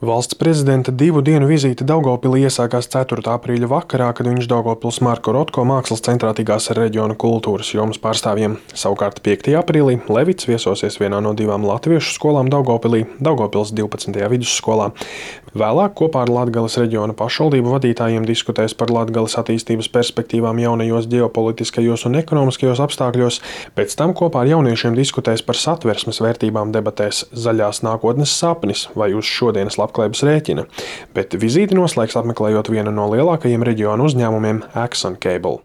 Valsts prezidenta 2 dienu vizīte Daugavpilī iesākās 4. aprīļa vakarā, kad viņš Daugavpils Marko Rotko mākslas centrā tikās ar reģiona kultūras jomas pārstāvjiem. Savukārt 5. aprīlī Levits viesosies vienā no 2 latviešu skolām Daugavpilī, Daugavpils 12. vidusskolā. Vēlāk kopā ar Latgales reģiona pašvaldību vadītājiem diskutēs par Latgales attīstības perspektīvām jaunajos ģeopolitiskajos un ekonomiskajos apstākļos, pēc tam kopā ar jauniešiem diskutēs par satversmes vērtībām debatēs Zaļās nākotnes sapnis vai uz šodienas labklājības rēķina, bet vizīti noslēgs apmeklējot vienu no lielākajiem reģiona uzņēmumiem ExxonCobil.